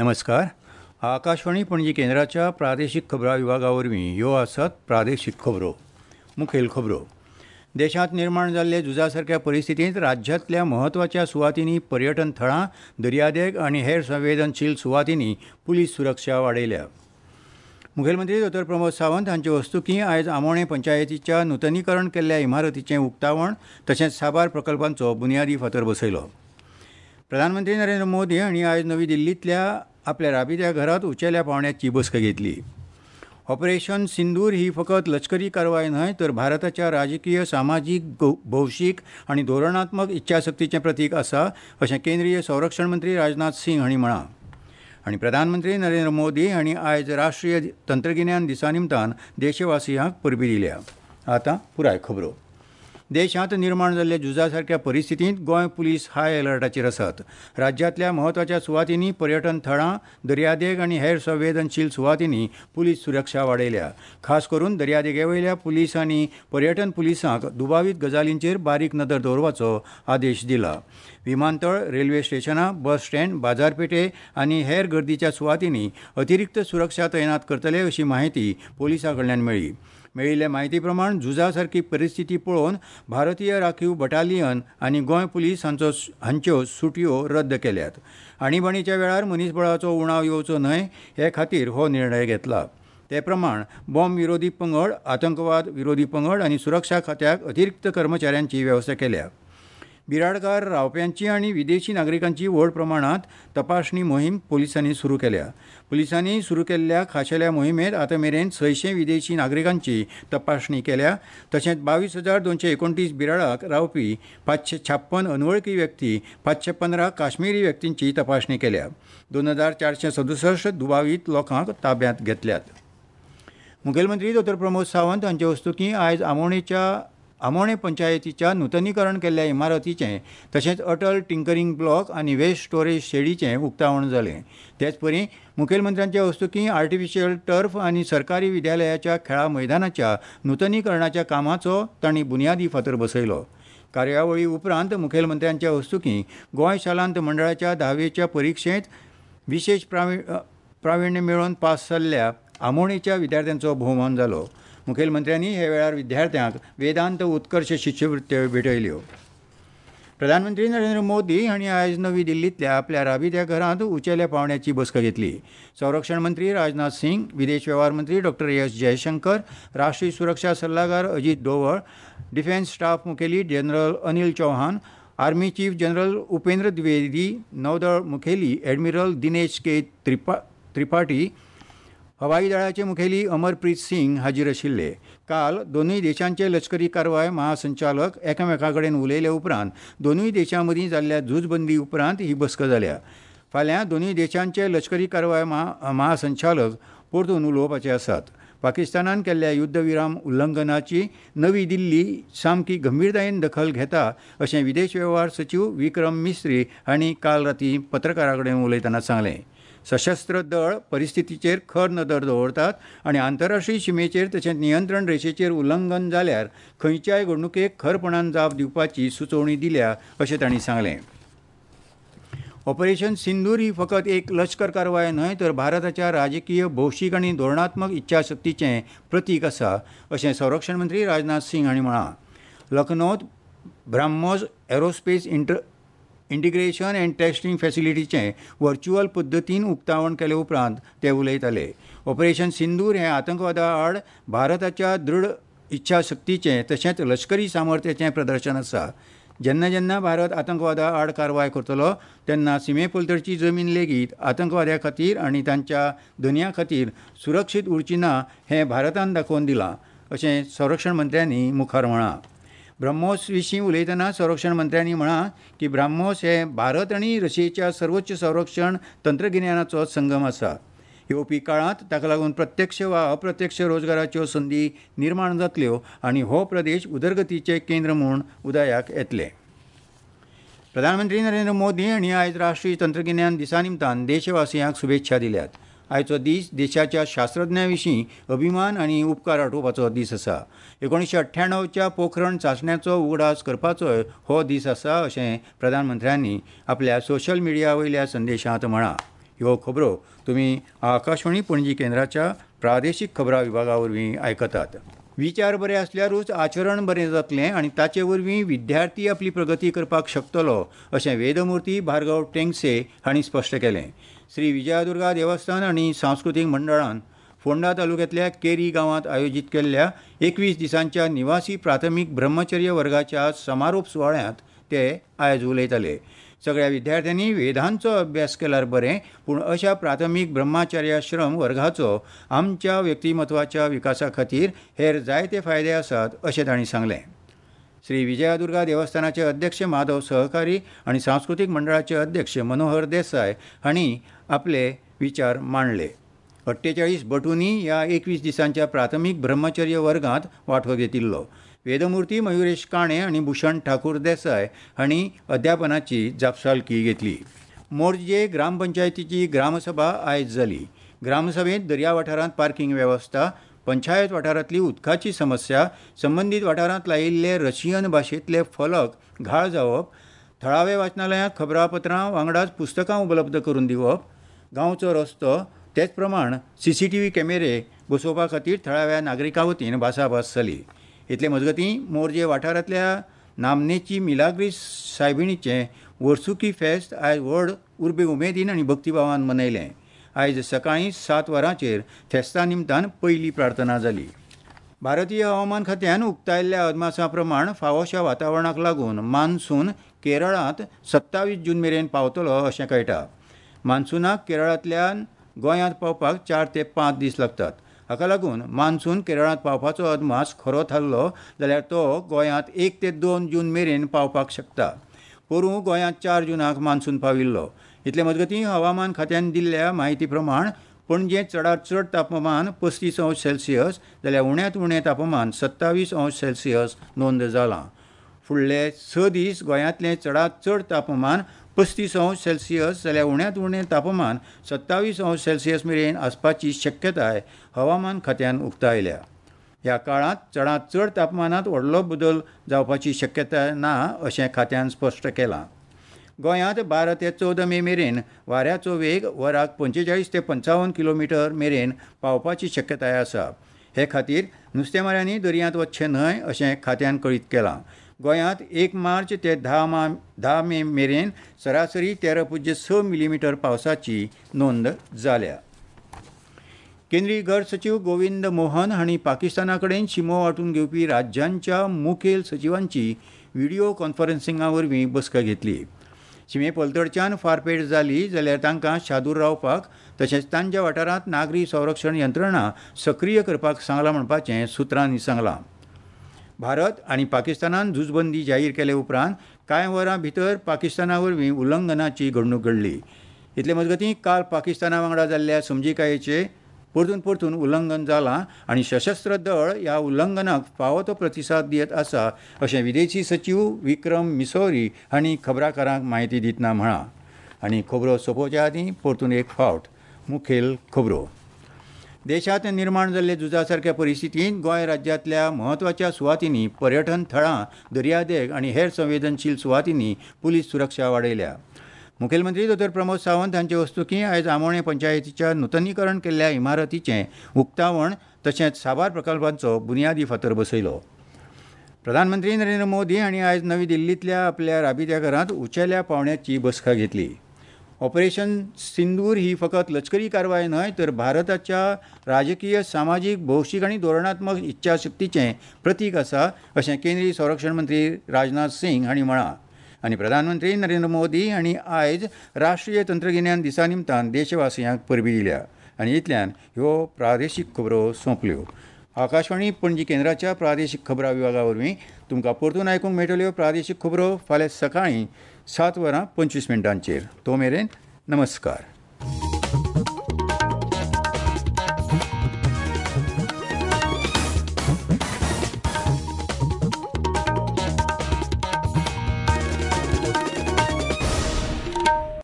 नमस्कार. आकाशवाणी पणजी केंद्राच्या प्रादेशीक खबरां विभागा वरवीं ह्यो आसात प्रादेशीक खबरो. मुखेल खबरो. देशांत निर्माण जाल्ले झुजा सारक्या परिस्थितींत राज्यांतल्या म्हत्वाच्या सुवातींनी पर्यटन थळां, दर्यादेग आनी हेर संवेदनशील सुवातींनी पुलीस सुरक्षा वाडयल्या. मुखेलमंत्री डॉ प्रमोद सावंत हांचे हस्तुकीं आयज आमोणें पंचायतीच्या नुतनीकरण केल्ल्या इमारतीचें उक्तावण तशेंच साबार प्रकल्पांचो बुन्यादी फातर बसयलो. प्रधानमंत्री नरेंद्र मोदी हांणी आयज नवी दिल्लींतल्या आपल्या राबित्या घरांत उंचेल्या पांवड्याची बसका घेतली. ऑपरेशन सिंदूर ही फकत लश्करी कारवाय न्हय तर भारताच्या राजकीय, सामाजीक, भौशीक आनी धोरणात्मक इच्छाशक्तीचें प्रतीक आसा अशें केंद्रीय संरक्षण मंत्री राजनाथ सिंग हांणी म्हळां. आनी प्रधानमंत्री नरेंद्र मोदी हांणी आयज राष्ट्रीय तंत्रगिन्यान दिसा निमतान देशवासियांक परबीं दिल्या. आतां पुराय खबरो. देशांत निर्माण जाल्ल्या झुजा सारक्या परिस्थितींत गोंय पुलीस हाय अलर्टाचेर आसात. राज्यांतल्या म्हत्वाच्या सुवातींनी पर्यटन थळां, दर्यादेग आनी हेर संवेदनशील सुवातींनी पुलीस सुरक्षा वाडयल्या. खास करून दर्यादेगे वयल्या पुलीस आनी पर्यटन पुलिसांक दुबावीत गजालींचेर बारीक नदर दवरपाचो आदेश दिला. विमानतळ, रेल्वे स्टेशनां, बस स्टँड, बाजारपेठे आनी हेर गर्दीच्या सुवातींनी अतिरिक्त सुरक्षा तैनात करतले अशी माहिती पुलिसां कडल्यान मेळ्ळी. मेळिल्ले म्हायती प्रमाण झुजा सारकी परिस्थिती पळोवन भारतीय राखीव बटालियन आनी गोंय पुलीस हांच्यो सुटयो रद्द केल्यात. आणीबाणीच्या वेळार मनीसबळाचो उणाव येवचो न्हय हे खातीर हो निर्णय घेतला. ते प्रमाण बॉम्ब विरोधी पंगड, आतंकवाद विरोधी पंगड आनी सुरक्षा खात्याक अतिरिक्त कर्मचाऱ्यांची वेवस्था केल्या. बिराडकार रावप्यांची आनी विदेशी नागरिकांची व्हड प्रमाणांत तपासणी मोहीम पुलिसांनी सुरू केल्या. पुलिसांनी सुरू केल्ल्या खाशेल्या मोहिमेंत आतां मेरेन 600 विदेशी नागरिकांची तपासणी केल्या. तशेंच 22,229 बिराडाक रावपी 556 अनवळखी व्यक्ती, 515 काश्मीरी व्यक्तींची तपासणी केल्या. 2,467 दुबावीत लोकांक ताब्यांत घेतल्यात. मुखेलमंत्री डॉ प्रमोद सावंत हांचे हस्तुकीं आयज आमोणें पंचायतीच्या नुतनीकरण केल्ल्या इमारतीचें तशेंच अटल टिंकरींग ब्लॉक आनी वेस्ट स्टोरेज शेडीचें उक्तावण जालें. तेचपरी मुखेलमंत्र्यांच्या हस्तुकीं आर्टिफिशियल टर्फ आनी सरकारी विद्यालयाच्या खेळा मैदानाच्या नुतनीकरणाच्या कामाचो तांणी बुन्यादी फातर बसयलो. कार्यावळी उपरांत मुखेलमंत्र्यांच्या हस्तुकीं गोंय शालांत मंडळाच्या 10वेच्या परिक्षेंत विशेश प्राविण्य मेळोवन पास जाल्ल्या आमोणेच्या विद्यार्थ्यांचो भोवमान जालो. मुखेलमंत्र्यांनी हे वेळार विद्यार्थ्यांक वेदांत उत्कर्ष शिश्यवृत्त्यो भेटयल्यो. प्रधानमंत्री नरेंद्र मोदी हांणी आयज नवी दिल्लींतल्या आपल्या राबित्या घरांत उंचेल्या पांवड्याची बसका घेतली. संरक्षण मंत्री राजनाथ सिंग, विदेश वेव्हार मंत्री डॉ एस जयशंकर, राष्ट्रीय सुरक्षा सल्लागार अजीत डोवळ, डिफेन्स स्टाफ मुखेली general Anil Chauhan, army chief general Upendra Dwivedi, नौदळ मुखेली ॲडमिरल दिनेश के त्रिपाठी, हवाई दळाचे मुखेली अमरप्रीत सिंग हाजीर आशिल्ले. काल दोनूय देशांचे लश्करी कारवाय महासंचालक एकामेकां कडेन उलयले उपरांत दोनूय देशां मदीं जाल्ल्या झुजबंदी उपरांत ही बसका जाल्या. फाल्यां दोनूय देशांचे लश्करी कारवाय महासंचालक परतून उलोवपाचे आसात. पाकिस्तानान केल्ल्या युद्धविराम उल्लंघनाची नवी दिल्ली सामकी गंभीरतायेन दखल घेता अशें विदेश वेव्हार सचीव विक्रम मिस्त्री हांणी काल रातीं पत्रकारां कडेन उलयतना सांगलें. सशस्त्र दळ परिस्थितीचेर खर नदर दवरतात आनी आंतरराष्ट्रीय शिमेचेर तशेंच नियंत्रण रेशेचेर उल्लंघन जाल्यार खंयच्याय घडणुकेक खरपणान जाप दिवपाची सुचोवणी दिल्या अशें तांणी सांगलें. ऑपरेशन सिंदूर ही फकत एक लश्कर कारवाय न्हय तर भारताच्या राजकीय, भौशीक आनी धोरणात्मक इच्छाशक्तीचें प्रतीक आसा अशें संरक्षण मंत्री राजनाथ सिंग हांणी म्हळां. लखनौत BrahMos aerospace integration and testing फॅसिलिटीचें व्हर्च्युअल पद्दतीन उक्तावण केले उपरांत ते उलयताले. ऑपरेशन सिंदूर हें आतंकवादा आड भारताच्या दृढ इच्छाशक्तीचें तशेंच लश्करी सामर्थ्याचें प्रदर्शन आसा. जेन्ना जेन्ना भारत आतंकवादा आड कारवाय करतलो तेन्ना सिमे पलतडची जमीन लेगीत आतंकवाद्या खातीर आनी तांच्या धनयां खातीर सुरक्षीत उरची ना हें भारतान दाखोवन दिलां अशें संरक्षण मंत्र्यांनी मुखार म्हळां. ब्रह्मोस विशीं उलयतना संरक्षण मंत्र्यांनी म्हळां की ब्राह्मोस हें भारत आनी रशियेच्या सर्वोच्च संरक्षण तंत्रगिन्यानाचो संगम आसा. येवपी काळांत ताका लागून प्रत्यक्ष वा अप्रत्यक्ष रोजगाराच्यो संदी निर्माण जातल्यो आनी हो प्रदेश उदरगतीचें केंद्र म्हूण उदयाक येतलें. प्रधानमंत्री नरेंद्र मोदी हांणी आयज राष्ट्रीय तंत्रगिन्यान दिसा निमतान देशवासियांक शुभेच्छा दिल्यात. आयचो दीस देशाच्या शास्त्रज्ञां विशीं अभिमान आनी उपकार आठोवपाचो दीस आसा. 1998च्या पोखरण चांचण्याचो उगडास करपाचोय हो दीस आसा अशें प्रधानमंत्र्यांनी आपल्या सोशल मिडिया वयल्या संदेशांत म्हळां. ह्यो खबरो तुमी आकाशवाणी पणजी केंद्राच्या प्रादेशीक खबरां विभागा वरवीं आयकतात. विचार बरे आसल्यारूच आचरण बरें जातलें आनी ताचे वरवीं विद्यार्थी आपली प्रगती करपाक शकतलो अशें वेदमुर्ती भार्गव टेंगसे हांणी स्पश्ट केलें. श्री विजयादुर्गा देवस्थान आनी सांस्कृतीक मंडळान फोंडा तालुक्यांतल्या केरी गांवांत आयोजीत केल्ल्या 21 दिसांच्या निवासी प्राथमीक ब्रह्मचर्य वर्गाच्या समारोप सुवाळ्यांत ते आयज उलयताले. सगळ्या विद्यार्थ्यांनी वेदांचो अभ्यास केल्यार बरें, पूण अशा प्राथमीक ब्रह्मचर्याश्रम वर्गाचो आमच्या व्यक्तिमत्वाच्या विकासा खातीर हेर जायते फायदे आसात अशें तांणी सांगलें. श्री विजयादुर्गा देवस्थानाचे अध्यक्ष माधव सहकारी आनी सांस्कृतीक मंडळाचे अध्यक्ष मनोहर देसाय हांणी आपले विचार मांडले. 48 बटूंनी ह्या 21 दिसांच्या प्राथमीक ब्रह्मचर्य वर्गांत वांटो घेतिल्लो. वेदमुर्ती मयुरेश काणे आनी भूषण ठाकूर देसाय हांणी अध्यापनाची जापसालकी घेतली. मोरजे ग्रामपंचायतीची ग्रामसभा आयज जाली. ग्रामसभेंत दर्या वाठारांत पार्किंग वेवस्था, पंचायत वाठारांतली उदकाची समस्या, संबंदीत वाठारांत लायिल्ले रशियन भाशेंतले फलक घाळ जावप, थळावे वाचनालयांत खबरापत्रां वांगडाच पुस्तकां उपलब्ध करून दिवप, गांवचो रस्तो, तेच प्रमाण CCTV कॅमेरे बसोवपा खातीर थळाव्या नागरिकां वतीन भासाभास जाली. इतले मजगतीं मोरजे वाठारांतल्या नामनेची मिलाग्रीस सायबिणीचें वर्सुकी फेस्त आयज व्हड उर्बे उमेदीन आनी भक्तिभावान मनयलें. आयज सकाळीं 7 वरांचेर फेस्ता निमतान पयली प्रार्थना जाली. भारतीय हवामान खात्यान उक्तायल्ल्या अदमासा प्रमाण फावोशा वातावरणाक लागून मान्सून केरळांत 27 जून मेरेन पावतलो अशें कळटा. मान्सूनाक केरळांतल्यान गोंयांत पावपाक 4 ते 5 दीस लागतात. हाका लागून मान्सून केरळांत पावपाचो अदमास खरो थारलो जाल्यार तो गोंयांत 1 ते 2 जून मेरेन पावपाक शकता. पोरूं गोंयांत 4 जुनाक मान्सून पाविल्लो. इतले मजगतीं हवामान खात्यान दिल्ल्या म्हायती प्रमाण पणजे चडांत चड तापमान 35 अंश सेल्सियस जाल्यार उण्यांत उणें तापमान 27 अंश सेल्सियस नोंद जालां. फुडले 6 दीस गोंयांतलें चडांत चड तापमान 35 अंश सेल्सियस जाल्यार उण्यांत उणें तापमान 27 अंश सेल्सियस मेरेन आसपाची शक्यताय हवामान खात्यान उक्तायल्या. ह्या काळांत चडांत चड तापमानांत व्हडलो बदल जावपाची शक्यताय ना अशें खात्यान स्पश्ट केलां. गोंयांत 12 ते 14 मे मेरेन वाऱ्याचो वेग वराक 45 ते 55 किलोमिटर मेरेन पावपाची शक्यताय आसा. हे खातीर नुस्तेमाऱ्यांनी दर्यांत वचचें न्हय अशें खात्यान कळीत केलां. गोंयांत 1 मार्च ते 10 मे मेरेन सरासरी 13.6 मिलीमिटर पावसाची नोंद जाल्या. केंद्रीय घर सचीव गोविंद मोहन हांणी पाकिस्ताना कडेन शिमो वांटून घेवपी राज्यांच्या मुखेल सचिवांची व्हिडिओ कॉन्फरन्सिंगा वरवीं बसका घेतली. शिमे पलतडच्यान फारपेट जाली जाल्यार तांकां शादूर रावपाक तशेंच तांच्या वाठारांत नागरी संरक्षण यंत्रणा सक्रीय करपाक सांगलां म्हणपाचें सुत्रांनी सांगलां. भारत आनी पाकिस्तानान झुजबंदी जाहीर केले उपरांत कांय वरां भितर पाकिस्ताना वरवीं उल्लंघनाची घडणूक घडली. इतले मजगतीं काल पाकिस्ताना वांगडा जाल्ल्या समजिकायेचें परतून परतून उल्लंघन जालां आनी सशस्त्र दळ ह्या उल्लंघनाक फावो तो प्रतिसाद दियत आसा अशें विदेशी सचीव विक्रम मिसोरी हांणी खबराकारांक म्हायती दितना म्हळां. आनी खबरो सोंपोवच्या आदीं परतून एक फावट मुखेल खबरो. देशांत निर्माण जाल्ले झुजा सारक्या परिस्थितींत गोंय राज्यांतल्या म्हत्वाच्या सुवातींनी पर्यटन थळां, दर्यादेग आनी हेर संवेदनशील सुवातींनी पुलीस सुरक्षा वाडयल्या. मुखेलमंत्री दोतोर प्रमोद सावंत हांचे हस्तुकीं आयज आमोणें पंचायतीच्या नुतनीकरण केल्ल्या इमारतीचें उक्तावण तशेंच साबार प्रकल्पांचो बुन्यादी फातर बसयलो. प्रधानमंत्री नरेंद्र मोदी हांणी आयज नवी दिल्लींतल्या आपल्या राबित्या घरांत उंचेल्या पांवड्याची बसका घेतली. ऑपरेशन सिंदूर ही फकत लश्करी कारवाय न्हय तर भारताच्या राजकीय, सामाजीक, भौशीक आनी धोरणात्मक इच्छाशक्तीचें प्रतीक आसा अशें केंद्रीय संरक्षण मंत्री राजनाथ सिंग हांणी म्हळां. आनी प्रधानमंत्री नरेंद्र मोदी हांणी आयज राष्ट्रीय तंत्रगिन्यान दिसा निमतान देशवासियांक परबीं दिल्या. आनी इतल्यान ह्यो प्रादेशीक खबरो सोंपल्यो. आकाशवाणी पणजी केंद्राच्या प्रादेशीक खबरां विभागा वरवीं तुमकां परतून आयकूंक मेळटल्यो प्रादेशीक खबरो फाल्यां सकाळीं 7:25. तो मेरेन नमस्कार.